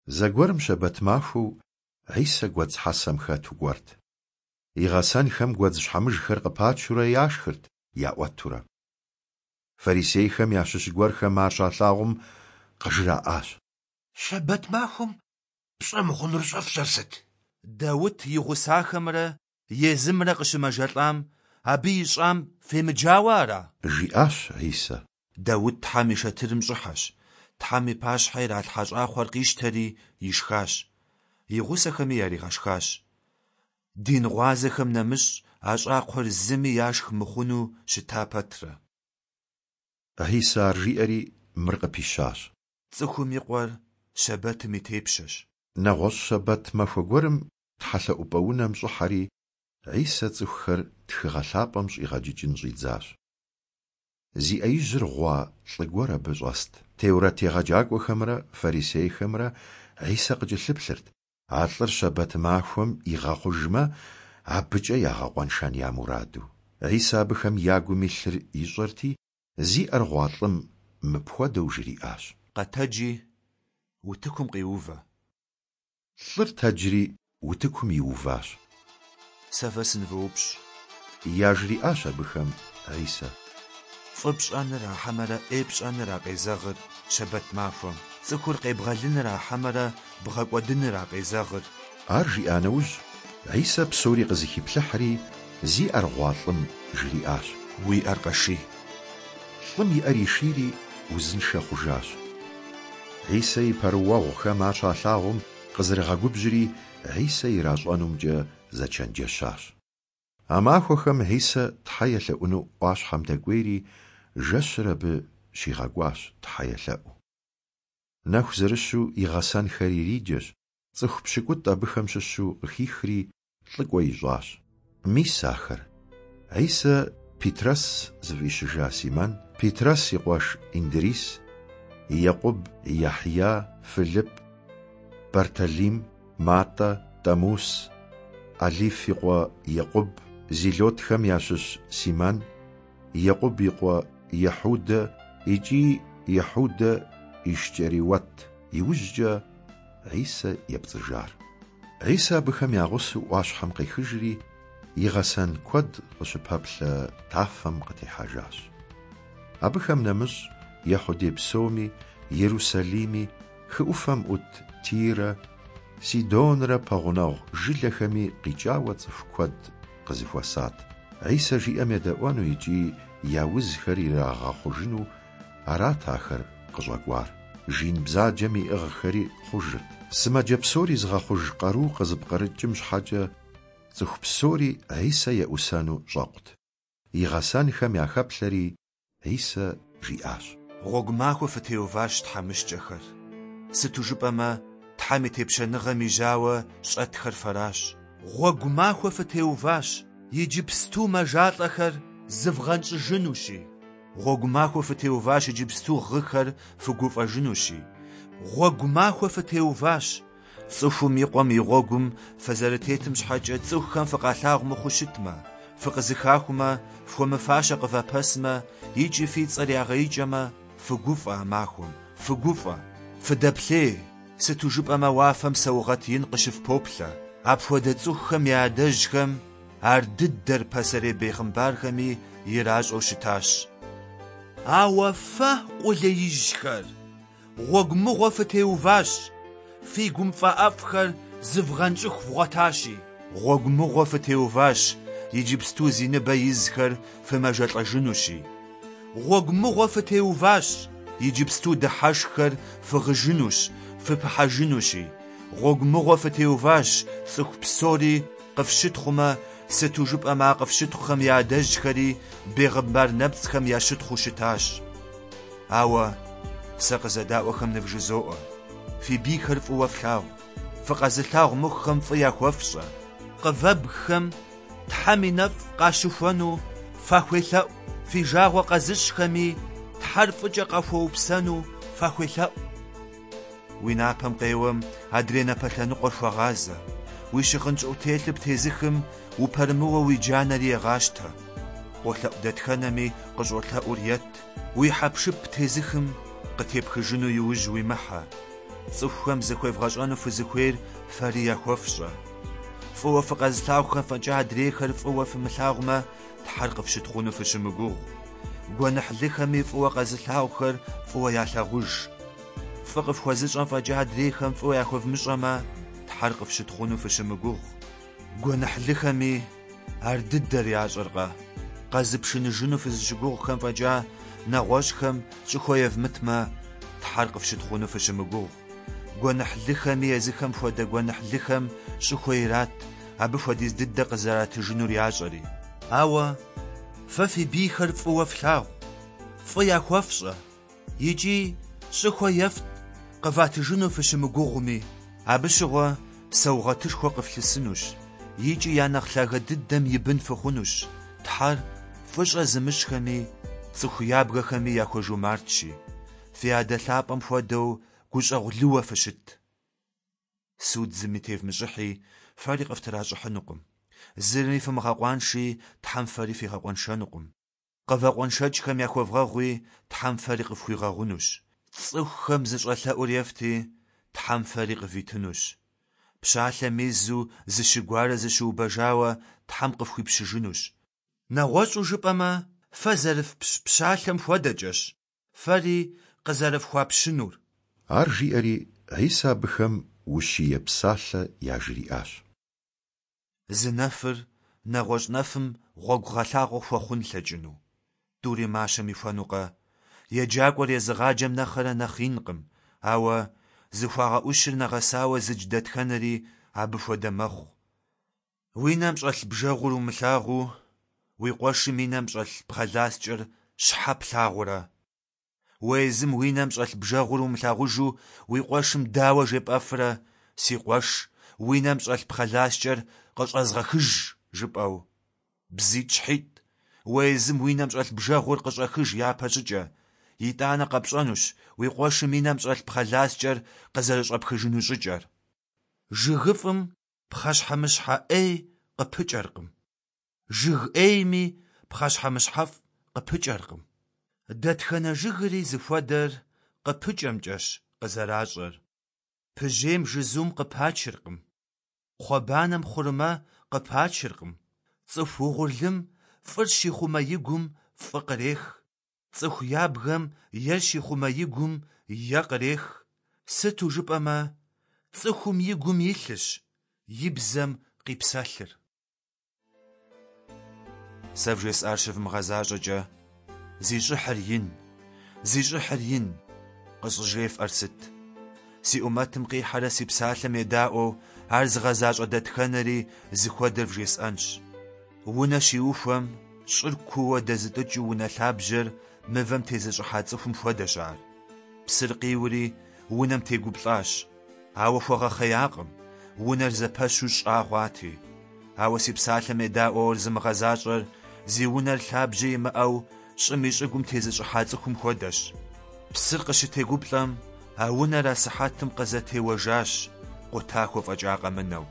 Зэгуэрым щэбэт махуэу Хьисэ гуэдз хьэсэм хэту кӏуэрт. И гъэсэнхэм гуэдз щхьэмыжхэр къыпачурэ яшхырт, яӏуэтурэ. Фарисейхэм ящыщ гуэрхэм ар щалъагъум къыжраӏащ: Щэбэт махуэм пщӏэ мыхъунур щӏэфщӏэр сыт? Даут и гъусахэмрэ езымрэ къыщымэжэлӏам, абы ищӏам фемыджауэ ара? Жиӏащ Хьисэ. Даут Тхьэм и шэтырым щӏыхьэщ, Тхьэм и пащхьэ иралъхьа щӏакхъуэр къищтэри ишхащ, и гъусэхэми яригъэшхащ. Дин гъуазэхэм нэмыщӏ а щӏакхъуэр зыми яшх мыхъуну щыта пэтрэ. Хьисэ ар жиӏэри мыр къыпищащ. Цӏыхум и Къуэр щэбэтым и тепщэщ. Нэгъуэщӏ щэбэт махуэ гуэрым тхьэлъэӏупӏэ унэм щӏыхьэри, Хьисэ цӏыхухэр Тхыгъэ Лъапӏэм щӏигъэджыкӏын щӏидзащ. Зи ӏэ ижьыр гъуа лӏы гуэр абы щӏэст. Теурэт егъэджакӏуэхэмрэ фарисейхэмрэ Хьисэ къыкӏэлъыплъырт, а лӏыр щэбэт махуэм игъэхъужмэ, абыкӏэ ягъэкъуэншэн я мураду. Хьисэ абыхэм я гум илъыр ищӏэрти, зи ӏэр гъуа лӏым мыпхуэдэу жриӏащ. Къэтэджи, утыкум къиувэ. Лӏыр тэджри утыкум иуващ. Сэ фэ сынывоупщӏ. Яжриӏащ абыхэм Хьисэ. Фӏы пщӏэныра хьэмэрэ ӏей пщӏэныра къезэгъыр щэбэт махуэм? Цӏыхур къебгъэлыныра хьэмэрэ бгъэкӏуэдыныра къезэгъыр? Ар жиӏа нэужь, Хьисэ псори къызэхиплъыхьри, зи ӏэр гъуа лӏым жриӏащ. Уи ӏэр къэший. Лӏым и ӏэр ишийри, узыншэ хъужащ. Хьисэ и пэрыуэгъухэм ар щалъагъум, къызэрыгъэгубжьри, Хьисэ иращӏэнумкӏэ зэчэнджэщащ. А махуэхэм Хьисэ Тхьэ елъэӏуну ӏуащхьэм дэкӏуейри, жэщыр абы щигъэкӏуащ Тхьэ елъэӏуу. Нэху зэрыщу и гъэсэнхэр ириджэщ, цӏыху пщыкӏутӏ абыхэм щыщу къыхихри, лӏыкӏуэ ищӏащ. Мис ахэр: Хьисэ Питрэс зыфӏищыжа Симэн, Питрэс и къуэш Индрис, Екъуб, Яхья, Фылип, Бартэлим, Матӏэ, Тӏэмус, Алиф и къуэ Екъуб, Зилотхэм ящыщ Симэн, Екъуб и къуэ Ехьудэ икӏи Ехьудэ Ишкӏэриуэт, иужькӏэ Хьисэ епцӏыжар. Хьисэ абыхэм я гъусэу ӏуащхьэм къехыжри, и гъэсэн куэд къыщыпэплъэ тафэм къытехьэжащ. Абыхэм нэмыщӏ Ехьудей псоми, Ерусалими, хы ӏуфэм ӏут Тирэ, Сидонрэ пэгъунэгъу жылэхэми къикӏауэ цӏыху куэд къызэхуэсат. Хьисэ жиӏэм едэӏуэну икӏи я узхэр ирагъэхъужыну арат ахэр къыщӏэкӏуар. Жин бзаджэм иӏыгъхэри хъужырт. Сымаджэ псори зыгъэхъуж къару къызыпкърыкӏым щхьэкӏэ цӏыху псори Хьисэ еӏусэну щӏэкъут. И гъэсэнхэм яхэплъэри, Хьисэ жиӏащ. Гъуэгу махуэ фытеуващ тхьэмыщкӏэхэр. Сыту жыпӏэмэ, Тхьэм и тепщэныгъэм и жьауэ щӏэтхэр фэращ. Гъуэгу махуэ фытеуващ, иджыпсту мэжалӏэхэр зывгъэнщӏыжынущи. Гъуэгу махуэ фытеуващ, иджыпсту гъыхэр фыгуфӏэжынущи. Гъуэгу махуэ фытеуващ, цӏыхум и къуэм и гъуэгум фызэрытетым щхьэкӏэ цӏыхухэм фыкъалъагъу мыхъуу щытмэ, фыкъызыхахумэ, фхуэмыфащэ къывапэсмэ икӏи фи цӏэр ягъэикӏэмэ, фыгуфӏэ а махуэм, фыгуфӏэ, фыдэплъей, сыту жыпӏэмэ уафэм саугъэт ин къыщыфпоплъэ. Апхуэдэ цӏыхухэм я адэжьхэм ар дыдэр пасэрей бегъымбархэми иращӏэу щытащ. Ауэ фэ, къулеижьхэр, гъуэгу мыгъуэ фытеуващ, фи гум фӏэӏэфӏхэр зывгъэнщӏыху вгъуэтащи. Гъуэгу мыгъуэ фытеуващ, иджыпсту зи ныбэ изхэр фымэжэлӏэжынущи. Гъуэгу мыгъуэ фытеуващ, иджыпсту дыхьэшххэр фыгъыжынущ, фыпыхьэжынущи. Гъуэгу мыгъуэ фытеуващ, цӏыху псори къыфщытхъумэ, сыту жыпӏэмэ а къыфщытхъухэм я адэжьхэри бегъымбар нэпцӏхэм ящытхъуу щытащ. Ауэ сэ къызэдаӏуэхэм нывжызоӏэ, фи бийхэр фӏыуэ флъагъу, фыкъэзылъагъу мыхъухэм фӏы яхуэфщӏэ, къывэбгхэм Тхьэм и нэфӏ къащыхуэну фахуелъэӏу, фи жагъуэ къэзыщӏхэми Тхьэр фӏыкӏэ къахуэупсэну фахуелъэӏу. Уи напэм къеуэм адрей напэ лъэныкъуэр хуэгъазэ, уи щыгъын щӏыӏутелъыр птезыхым упэрымыуэ уи джанэри егъащтэ. Къолъэӏу дэтхэнэми къыщӏолъэӏур ет, уи хьэпшып птезыхым къытепхыжыну иужь уимыхьэ. Цӏыхухэм зыхуевгъэщӏэну фызыхуейр фэри яхуэфщӏэ. Фӏыуэ фыкъэзылъагъухэм фӏэкӏа адрейхэр фӏыуэ фымылъагъумэ, Тхьэр къыфщытхъуну фыщымыгугъ. Гуэныхьлыхэми фӏыуэ къэзылъагъухэр фӏыуэ ялъагъуж. Фӏы къыфхуэзыщӏэм фӏэкӏа адрейхэм фӏыуэ яхуэвмыщӏэмэ, Тхьэр къыфщытхъуну фыщымыгугъ. Гуэныхьлыхэми ар дыдэр ящӏэркъэ? Къэзыпшыныжыну фызыщыгугъхэм фӏэкӏа нэгъуэщӏхэм щӏыхуэ евмытмэ, Тхьэр къыфщытхъуну фыщымыгугъ. Гуэныхьлыхэми езыхэм хуэдэ гуэныхьлыхэм щӏыхуэ ират, абы хуэдиз дыдэ къызэратыжынур ящӏэри. Ауэ фэ фи бийхэр фӏыуэ флъагъу, фӏы яхуэфщӏэ икӏи щӏыхуэ ефт, къыватыжыну фыщымыгугъми. Абы щыгъуэ саугъэтышхуэ къыфлъысынущ икӏи я нэхъ лъагэ дыдэм и бын фыхъунущ, Тхьэр фӏыщӏэ зымыщӏхэми цӏыху ябгэхэми яхуэжумартщи. Фи Адэ лъапӏэм хуэдэу гущӏэгъулыуэ фыщыт. Суд зыми тевмыщӏыхьи, фэри къыфтращӏыхьынукъым. Зыри фымыгъэкъуанши, Тхьэм фэри фигъэкъуэншэнукъым. Къывэкъуэншэкӏхэм яхуэвгъэгъуи, Тхьэм фэри къыфхуигъэгъунущ. Цӏыхухэм зыщӏэлъэӏур ефти, Тхьэм фэри къывитынущ. Пщалъэм изу зыщыгуарэ зыщыубэжауэ Тхьэм къыфхуипщыжынущ. Нэгъуэщӏу жыпӏэмэ, фэ зэрыфпщ пщалъэм хуэдэкӏэщ фэри къызэрыфхуапщынур. Ар жиӏэри, Хьисэ абыхэм ущие псалъэ яжриӏащ. Зы нэфыр нэгъуэщӏ нэфым гъуэгугъэлъагъуэ хуэхъун лъэкӏыну? Тӏури мащэм ихуэнукъэ? Еджакӏуэр езыгъаджэм нэхърэ нэхъ инкъым, ауэ зыхуагъэӏущыр нэгъэсауэ зыдж дэтхэнэри абы хуэдэ мэхъу. Уи нэм щӏэлъ бжэгъур умылъагъуу, уи къуэшым и нэм щӏэлъ пхъэласкӏэр щхьэ плъагъурэ? Уэ езым уи нэм щӏэлъ бжэгъур умылъагъужу уи къуэшым дауэ жепӏэфрэ, си къуэш, уи нэм щӏэлъ пхъэласкӏэр къыщӏэзгъэхыж, жыпӏэу? Бзитӏщхьитӏ, уэ езым уи нэм щӏэлъ бжэгъур къыщӏэхыж япэщӏыкӏэ, итӏанэ къэпщӏэнущ уи къуэшым и нэм щӏэлъ пхъэласкӏэр къызэрыщӏэпхыжыну щӏыкӏэр. Жыгыфӏым пхъэщхьэмыщхьэ ӏей къыпыкӏэркъым. Жыг ӏейми пхъэщхьэмыщхьэфӏ къыпыкӏэркъым. Дэтхэнэ жыгри зыхуэдэр къыпыкӏэмкӏэщ къызэращӏэр. Пыжьейм жызум къыпачыркъым. Кхъуэбанэм хъурмэ къыпачыркъым. Цӏыху угъурлым фӏыр щихъумэ и гум фӏы кърех. Цӏыху ябгэм ер щихъумэ и гум е кърех. Сыту жыпӏэмэ, цӏыхум и гум илъырщ и бзэм къипсэлъыр. Сэ вжесӏар щывмыгъэзащӏэкӏэ, зи щӏыхьыр ин, зи щӏыхьыр ин, къыщӏыжефӏэр сыт? Си ӏумэтым къихьэрэ си псалъэм едаӏуэу ар зыгъэзащӏэ дэтхэнэри зыхуэдэр вжесӏэнщ. Унэ щиухуэм, щӏыр кууэ дэзытӏыкӏыу унэ лъабжьэр мывэм тезыщӏыхьа цӏыхум хуэдэщ ар. Псыр къиури, унэм тегуплӏащ, ауэ хуэгъэхъеякъым, унэр зэпэщу щӏа хъуати. Ауэ си псалъэм едаӏуэу ар зымыгъэзащӏэр зи унэр лъабжьэ имыӏэу щӏым и щӏыгум тезыщӏыхьа цӏыхум хуэдэщ. Псыр къыщытегуплӏэм, а унэр асыхьэтым къызэтеуэжащ, къутахуэ фӏэкӏа къэмынэу.